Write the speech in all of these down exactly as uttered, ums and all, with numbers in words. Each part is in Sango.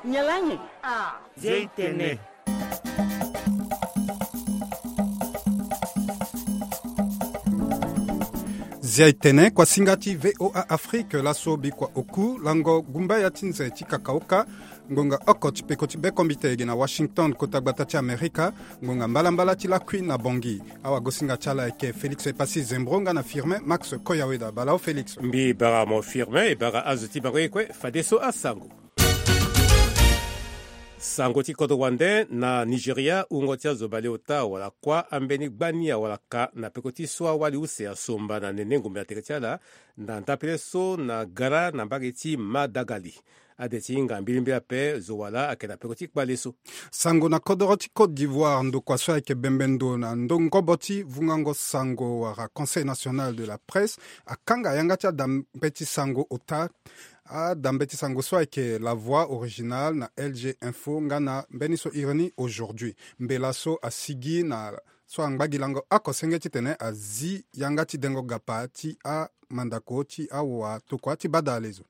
Nyalanyi. Ah. Zia itene. Zia itene, kuasinga ti V O A Afrique, laso bikua oku lango gumba ya ti nze ti kakaoka. Ngonga oko ti peko ti bekombite ege na Washington, kota gbata ti Amerika. Ngonga mbalambala ti lakui na Bangui. Awagosinga ti ala ayeke Félix Epassi Zembro nga na Firmin Max Koyaweda. Bala o Félix. Mbi bara mo Firmin, e bara azo ti bango ye kue, fadeso asango. Sango ti kodro wande. Na Nigeria, wungo ti azo baleota wala kuâ ambeni gbani awalaka na peko ti so awali use asomba na nene ngombe na tere ti ala, na ndapele so na gara na mbage ti Madagali. Ade ti hinga mbilimbili ape, zo wala ayeke na peko ti kpale so. Sango na kodoro ti Côte d'Ivoire, ndokua so ayeke bembe ndo na ndo ngobo ti vungango sango wala Conseil National de la Presse akanga yanga ti adambe ti sango ota. Adambe ti sango so ayeke La Voix Originale na L G Info nga na mbeni so iri ni Aujourd'hui. Mbela so asigi na so angba gi lango oko senge titene azi yanga ti dengo gapa ti amandako ti awa tokua ti badale zo.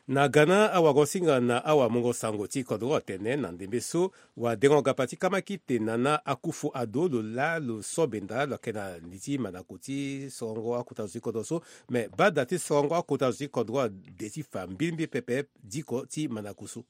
Na Ghana, awagosinga na awamungo sango ti kodro atene na ndembe so wadengo gapa ti kamakite Nana Akufo-Addo lo laa lo so benda lo yeke na li ti mandako ti sorongo akota zo ti kodro so. Me bada ti sorongo akota zo ti kodro ade ti fa mbilimbili pepe diko ti mandako so.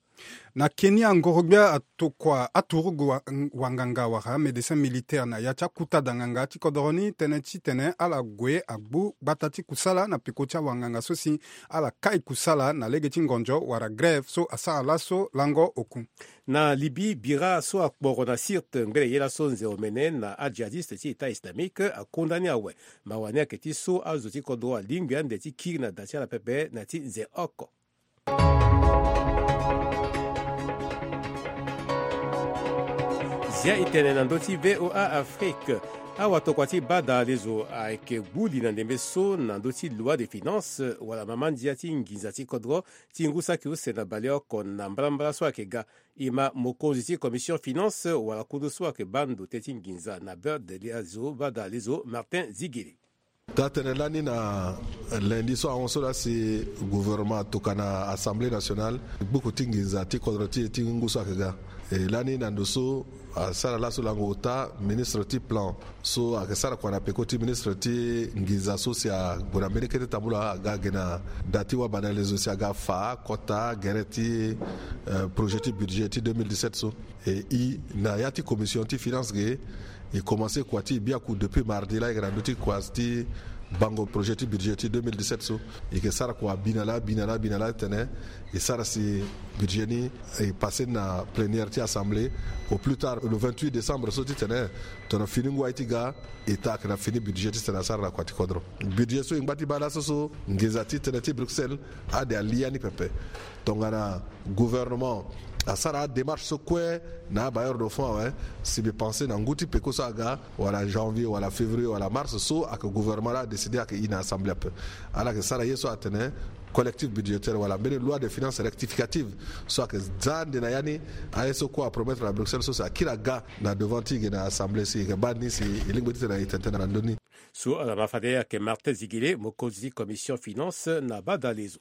Na Kenya, ngorogbia atokua aturugu wa-, wanganga wala médecin militaire na ya ti akuta danganga ti kodoro ni tënë titene ala gue agbu gbata ti kusala na peko ti awanganga so si ala kai kusala na lege ti ngonzo wala grève so asara laso lango oku. Na Libye, bira so akporo na Sirte ngbele ye laso nze omene na adjihadiste ti État islamique akunda ni awe. Mawa ni ayeke ti so azo ti kodro alingbi ande ti kiri na da ti ala pepe na ti nze oko. Zia itene na ndö ti V O A Afrique. Awatokua ti badale zo ayeke gbu li na ndembe so na ndö ti loi de finance wala mama ndia ti nginza ti kodro ti ngu saki use na baleoko na mbalambala so ayeke ga. E ma mokonzi ti commission finance wala kundu so ayeke baa ndo tënë ti nginza na beurre de lia zo badale zo Martin Zigele. Taa-tënë lani na lundi so ahon so laa si gouvernement atokua na Assemblée nationale gbuku ti nginza ti kodro ti e ti ngu so ayeke ga. E lani na ndo so asara laso lango ota ministre ti plan so ayeke sara kua na peko ti ministre ti nginza so si ague na mbeni kete tambula aga ge na da ti wabadale zo si aga fa kota gere ti, eh, projet ti budget ti deux mille dix-sept so. E i na ya ti commission ti finance ge, e commencé kua ti e biaku depuis mardi laa e yeke na ndö ti kua ti bango projet ti budget ti deux mille dix-sept so. E yeke sara kua bi na laa bi na laa bi na laa tene e sara si budget ni e passé na plénière ti assemblée au plus tard le vingt-huit décembre so titene tongana fini ngu aye ti ga e taa ayeke na fini budget titene asara na kua ti kodro. Budget so e ngba ti baa laso so nginza ti tënë ti Bruxelles ade ali ya ni pepe. Tongana gouvernement asara adémarche so kue na abailleur de fonds awe, si mbi pensé na ngu ti peko so aga wala janvier wala février wala mars so ayeke gouvernement laa adécidé ayeke i na assemblée ape. Ala yeke sara ye so atene collectif budgétaire wala mbeni loi de finance rectificative so ayeke za ande na ya ni. Aye so kue apromettre na Bruxelles so si akiri aga na devant ti e ge na assemblée si e yeke baa ni si e lingbi titene e tene tënë na ndö ni. So ala ma fade ayeke Martin Zigele, mokonzi ti commission finance na badale zo.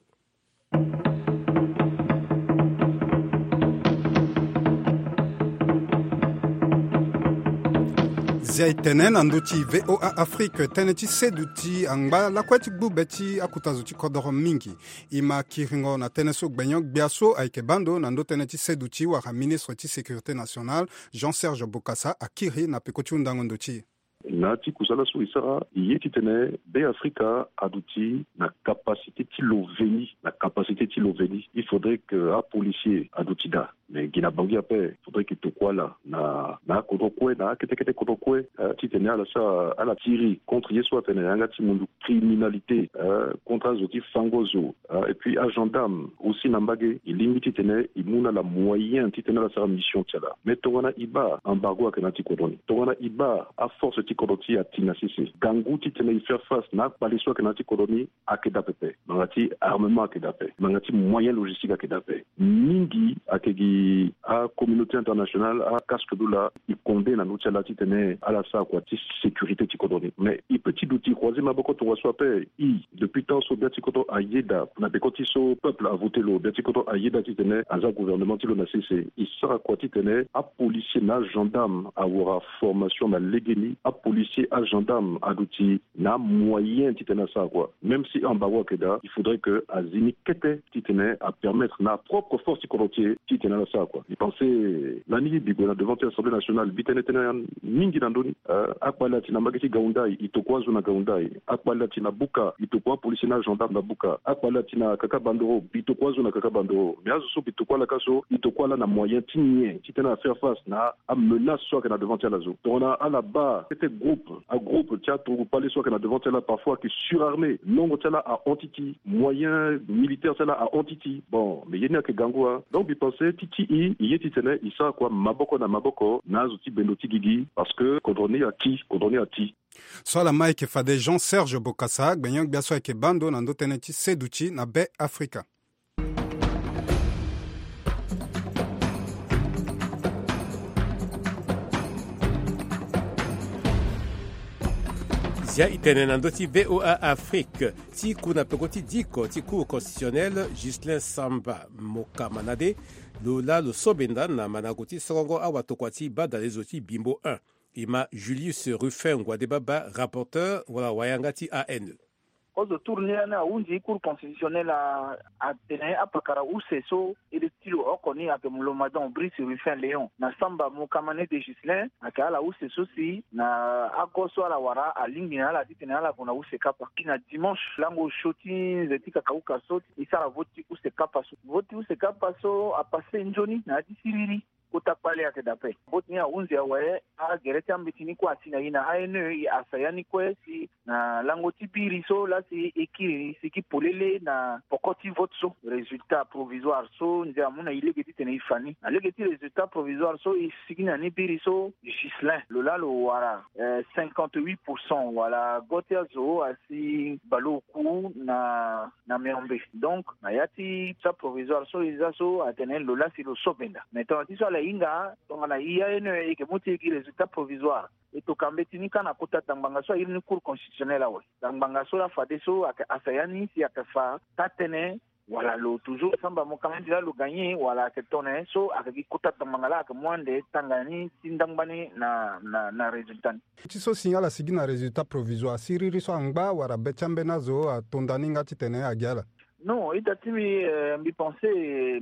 Zia e tene na ndö ti V O A Afrique, tënë ti seduti angba lakue ti gbu be ti akota zo ti kodoro mingi. E ma kiringo na tënë so gbenyo-gbia so ayeke baa ndo na ndö tënë ti seduti wala ministre ti sécurité nationale, Jean Serge Bokassa akiri na peko ti hundango ndo ti e. Na ya ti kusala so e sara, e ye titene Be Afrika aduti na capacité ti lo veni, na capacité ti lo veni. Il faudrait que apolicier aduti daa. Mais gi na Bangui ape, faudrait que e tokua ala na, na akodro kue, na akete kete kodro kue, eh, titene ala sara, ala tiri contre ye so atene yanga ti mundu criminalité, eh, contre azo ti fango zo, eh, et puis agendarme aussi na mbage, e lingbi titene e mu na ala moyen titene ala sara mission ti ala. Mais tongana e baa embargo ayeke na ya ti kodro ni, tongana e baa aforce ti kodro ti e ati na sese, gangu titene e faire face na akpale so ayeke na ya ti kodro ni ayeke daa pepe. Ngbanga ti armement ayeke daa ape, ngbanga ti moyen logistique ayeke daa ape. Mingi ayeke gi acommunauté internationale, acasque dula, e condé na ndö ti ala titene ala sara kua ti sécurité ti kodro ni. Mais e peut ti duti croiser maboko tongaso ape. E, depuis temps so bia ti kodro ayeda na peko ti so peuple avoté lo, bia ti kodro ayeda titene aza gouvernement ti lo na sese. E sara kua titene apolicier na agendarme awara formation na legeni. Apolicier, agendarme aduti na amoyen titene asara kua. Même si ambaro ayeke daa, il faudrait que azi ni kete titene apermettre na apropre force ti kodro ti e titene ala sara kua. E pense lani bi gue na devant ti assemblée nationale, bi tene tënë mingi na ndö ni. Eh, akpale ati na mbage ti Gaoundai, e tokua azo na Gaoundai. Akpale ati na Buka, e tokua apolicier na agendarme na Buka. Akpale ati na Kaka Bandoro, bi tokua azo na Kaka Bandoro. Mais azo so bi tokua ala ka so, e tokua ala na moyen ti nyen titene afaire face na amenace so ayeke na devant ti ala so. Tongana ala baa kete groupe, agroupe ti aturugu kpale so ayeke na devant ti ala, parfois ayeke surarmé, nongo ti ala ahon ti ti, moyen militaire ti ala ahon ti ti. Bon, mais ye ni ayeke gango, hein. Donc mbi pense ti ti e, e ye titene e sara kua maboko na maboko na azo ti bendo ti gigi, parce que kodro ni ati, kodro ni ati. So ala ma ayeke fade Jean Serge Bokassa, gbenyo-gbia so ayeke baa ndo na ndö tënë ti seduti na Be Afrika. Zia e tene na ndö ti V O A Afrique, ti ku na peko ti diko ti Cour constitutionnelle, Ghislain Samba Mokamanade, lo laa lo so benda na mandango ti sorongo awatokua ti badalezo ti Bimbo un. E ma Julius Ruffin Ngwadebaba, rapporteur wala wayanga ti A N E. Kozo tour ni lani ahunzi Cour constitutionnelle a, atene apakara use so e le ti lo oko ni ayeke Molomadon Brice Ruffin Léon na Samba Mokamane de Ghislain, ayeke ala use so si na ago so ala wara alingbi na ala titene ala gue na use kapa. Ti na dimanche lango osio ti nze ti kakauka so e sara vote ti use kapa so. Vote ti use kapa so apasse nzoni na ya ti siriri. Kota kpale ayeke daa ape. Vote ni ahunzi awe, agere ti ambeti ni kue asi na e na A N E, e asaya ni kue si na lango ti biri so laa si e kiri ni sigi polele na poko ti vote so, résultat provisoire so nze amu na e lege titene e fa ni. Na lege ti résultat provisoire so e sigi na ni biri so, Ghislain lo laa lo wara, eh, cinquante-huit pour cent wala go ti azo asi baleoku na na miombe. Donc na ya ti sa provisoire so e za so atene lo laa si lo so benda. Mais tongana ti so ala hinga, tongana e A N E e yeke mu ti e gi résultat provisoire, e toka mbeti ni kâ na kota dangbanga so a iri ni Cour constitutionnelle awe. Dangbanga so laa fadeso ayeke asaya ni si ayeke fa taa tënë, wala lo toujours Samba Mokamane laa lo gagné, wala ayeke tongana nyen so ayeke gi kota dangbanga laa ayeke mu ande tanga ni ti ndangba ni na, na, na résultat ni. Ti so si ala sigi na résultat provisoire, siriri so angba wala be ti ambeni azo atonda ni nga titene agi ala? Non, ita ti mbi, eh, mbi pense, eh,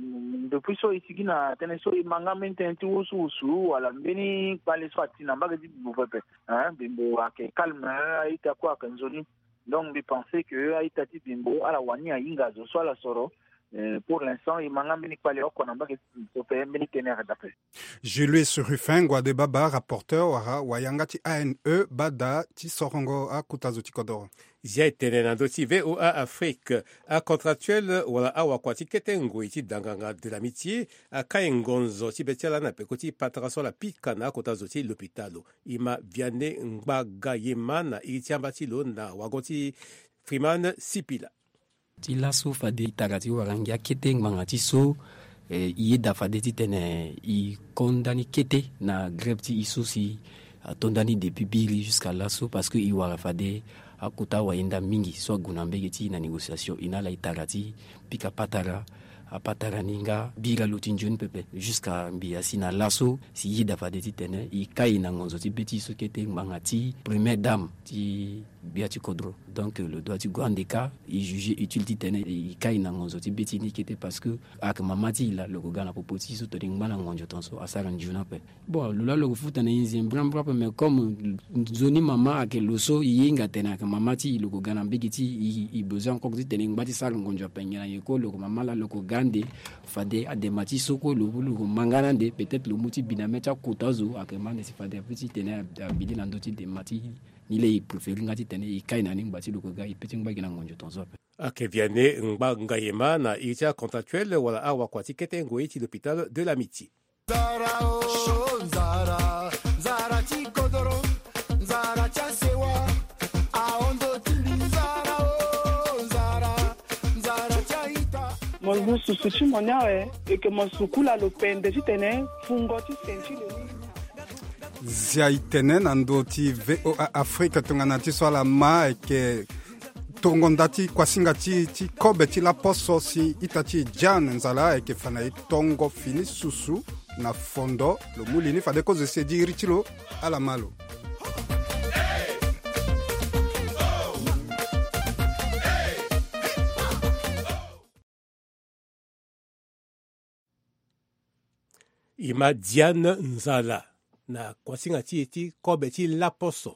depuis so e sigi na tënë so e ma nga mbeni tënë ti wusuwusu wala mbeni kpale so ati na mbage ti Bimbo pepe. Hein, Bimbo ayeke calme, eh, a-ita kue ayeke nzoni. Donc mbi pense que a-ita ti Bimbo ala wani ahinga azo so ala soro. Eh, pour l'instant e ma nga mbeni kpale oko na mbage ti Bimbo pepe, mbeni tënë ayeke daa ape. Julius Ruffin Ngwadebaba, rapporteur wala wayanga ti A N E, bada ti sorongo akota zo ti kodoro. Zia e tene na ndö ti V O A Afrique, acontractuel wala awakua ti kete ngoi ti danganga de l'amitié akai ngonzo ti be ti ala na peko ti patara so ala pika na akota zo ti lopitalo. E ma Vianney Ngbagayema na iri ti amba ti lo na wago ti Freeman Sipila. Ti laso fade e tara ti wara ngia kete ngbanga ti so, eh, e yeda fade titene e konda ni kete na grève ti e so si atonda ni depuis biri jusqu'à laso, parce que e wara fade akota wayenda mingi so ague na mbege ti e na négociation. E na ala e tara ti pika patara, apatara ni nga bira lo ti nzoni pepe jusqu'à mbi asi na laso si e yeda fade titene e kai na ngonzo ti be ti e so kete ngbanga ti première dame ti gbia ti kodro. Donc lo doit ti gue ande kâ, e juger utile titene e kai na ngonzo ti be ti ni kete, parce que ayeke mama ti e laa, lo ko ga na popo ti e so tongana e ngba na ngonzo tongaso asara nzoni ape. Bon, lo laa lo ko futa na e nze mbrambra ape, mais comme nzoni mama ayeke lo so e hinga tene ayeke mama ti e, lo ko ga na mbege ti e, e besoin encore titene e ngba ti sara ngonzo ape ngia na nyen kue, lo ko mama laa lo ko ga ande. Fade adema ti e so kue lo, lo ko ma nga na ande, peut-être lo mu ti bi na mê ti akota zo, ayeke ma ande si fade ape titene abi ni na ndö ti dema ti e. Ni laa e préféré nga titene e kai na ni ngba ti lo ko ga e pe ti ngba gi na ngonzo tongaso ape. Ayeke Vianney Ngbagayema na iri ti acontractuel wala awakua ti kete ngoi ti l'hôpital de l'Amitié. Nzara o, nzara, nzara ti kodoro, nzara ti asewa, ahon ndo ti mbi. Nzara o, nzara, nzara ti a-ita. Susu ti mo ni awe, eke mo sukula lo pende titene fungo ti senti lo ni. Zia e tene na ndö ti V O A Afrique tongana ti so ala ma eke tongo nda ti kuasinga ti e ti kobe ti laposo si ita ti e Jeanne Nzala eke fa na e tongo fini susu na fondo. Lo mu li ni fade kozo ese di iri ti lo ala ma lo. E ma Diane Nzala na kuasinga ti e ti kobe ti laposo.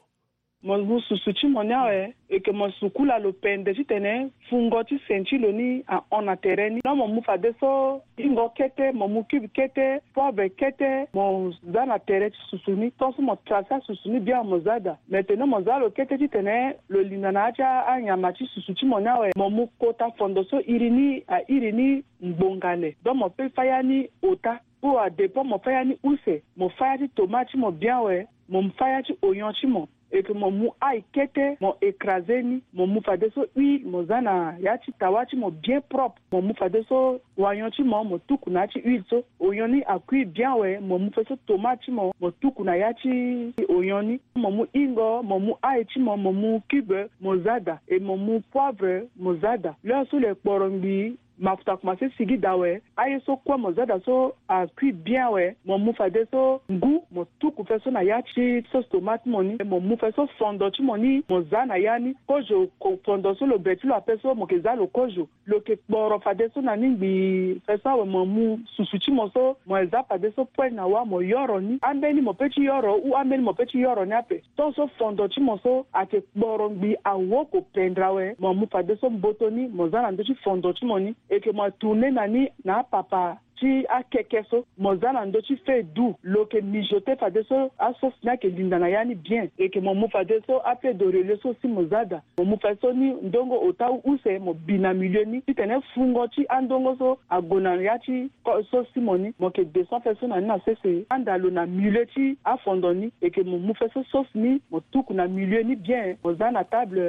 Mo mu susu ti mo ni awe, eke mo sukula lo pende titene fungo ti senti lo ni ahon na tere ni. Non, mo mu fadeso ingo kete, mo mu cube kete, poivre kete, mo za na tere ti susu ni. Tant so mo trace asusu ni bien, mo za daa. Maintenant mo za lo kete titene lo linda na ya ti anyama ti susu ti mo ni awe, mo mu kota fondo so iri ni airi ni ngbonga le. Donc mo peut fa ya ni ota. Ou à dépend mo fa ya ni use, mo fa ya ti tomate ti mo bien awe, mo fa ya ti oignon ti mo. Eke mo mu ail kete, mo écraser ni, mo mu fadeso huile, mo za na ya ti tawa ti mo bien propre. Mo mu fadeso oignon ti mo, mo tuku na ya ti huile so. Oignon ni akui bien awe, mo mu fadeso tomate ti mo, mo tuku na ya ti oignon ni. Mo mu ingo, mo mu ail ti mo, mo mu cube, mo za daa. E mo mu poivre, mo za daa. L'heure so lo kporo ngbii, mafuta akomanse sigi daa awe, aye so kue mo za daa so akui bien awe, mo mu fadeso ngu, mo tuku fadeso na ya ti sauce tomate ti mo ni, mo mu fadeso fondo ti mo ni, mo za na ya ni. Kozo ko-, fondo so lo be ti lo ape so mo ke za lo kozo. Lo ke kporo fadeso na ni ngbii fadeso awe, mo mu susu ti mo so, mo za fadeso poêle na wâ, mo yoro ni. Ambeni mo peut ti yoro, ou ambeni mo peut ti yoro ni ape. Tant so fondo ti mo so ake kporo ngbii awoko pendra awe, mo mu fadeso mboto ni, mo za na ndö ti fondo ti mo ni. Eke mo atourner na ni na apapa ti akeke so, mo za na ndö ti feu doux, lo ke mijoter fadeso asauce ni ake linda na ya ni bien. Eke mo mu fadeso afeuille de laurier so si mo za daa. Mo mu fadeso ni ndongo ota ou use, mo bi na milieu ni titene fungo ti andongo so ague na ya ti ko-, sauce ti mo ni, mo ke descend fadeso na ni na sese, anda lo na milieu ti afondo ni. Eke mo mu fadeso sauce ni, mo tuku na milieu ni bien, mo za na table.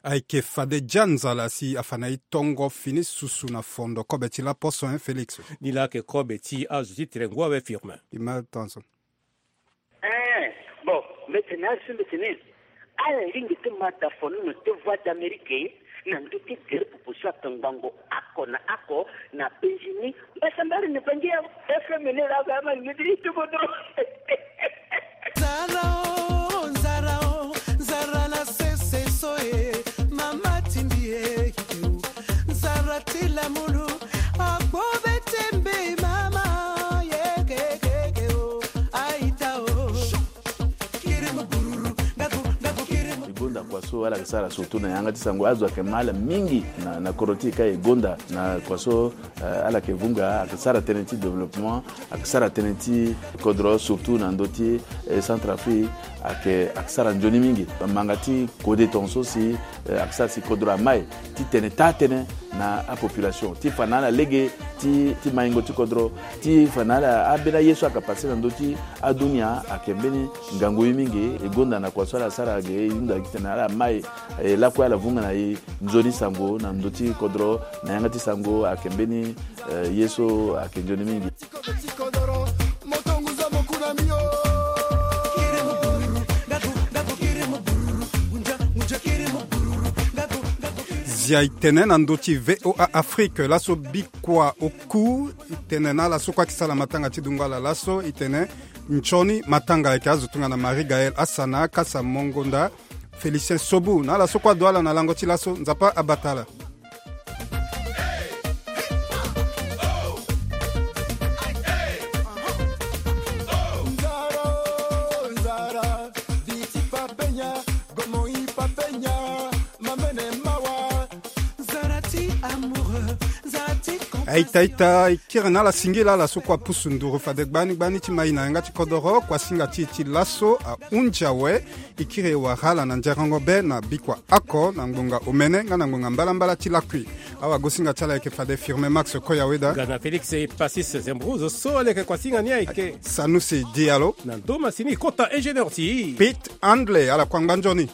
Ayeke fade Jeanne Nzala si afa na e tongo fini susu na fondo kobe ti laposo, hein, Félix? Ni laa ayeke kobe ti azo ti tene ngu awe, Firmin. E ma tongaso. Eh, bon, mbeti ni asi mbeti ni. Ala lingbi ti ma da fonono ti Voix d'Amérique na ndö ti gere pupu so akangbango oko na oko na penzi ni. Mbasambara ni bangi ya F M ni laa ga ama ni ti tukutu. Nzara o, nzara o, nzara na sese so e, mama tindi e, nzara ti lamulu, akpo be tembe mama, ye ke ke ke o, aita o. E gonda kua so ala yeke sara surtout na yanga ti sango, azo ayeke ma ala mingi na, na kodro ti e ka e gonda na kua so, eh, ala yeke vunga, ayeke sara tënë ti développement, ayeke sara tënë ti kodro, surtout na ndö ti, eh, Centrafrique, ayeke, ayeke sara nzoni mingi. Manga ti kode tongaso si, eh, ayeke sara si kodro amai ti tene taa tënë na apopulation ti fa na ala lege ti, ti maingo ti kodro, ti fa na ala ambeni aye so ayeke passe na ndö ti adunia ayeke mbeni ngangu ye mingi. E gonda na kua so ala sara ge, e hunda gi tene ala mai, e lakue ala vunga na e nzoni sango na ndö ti kodro, na yanga ti sango ayeke mbeni, eh, ye so ayeke nzoni mingi. Zia e tene na ndö ti V O A Afrique, laso bikua oku e tene na ala so kue ayeke sara matanga ti dungo ala laso, e tene nzoni matanga ayeke azo tongana Marie Gaëlle Asana, Kasa Mongonda, Félicien Sobu, na ala so kue ado ala na lango ti laso, Nzapa abata ala. Aita ita, e kiri na ala singila ala so kue apusu nduru fade gbani gbani ti ma e na yanga ti kodoro, kuasinga ti e ti laso ahunzi awe. E kiri e wara ala na nzerengo be na bikua oko na ngbonga omene nga na ngbonga mbalambala ti lakui. Awagosinga ti ala ayeke fade Firmin Max Koyaweda. Nga na Félix Passis Zembrouz so leke kuasinga ni ayeke Sanusi Diallo. Na ndo masini kota ingénieur ti Pete Handley, ala kue angba nzoni.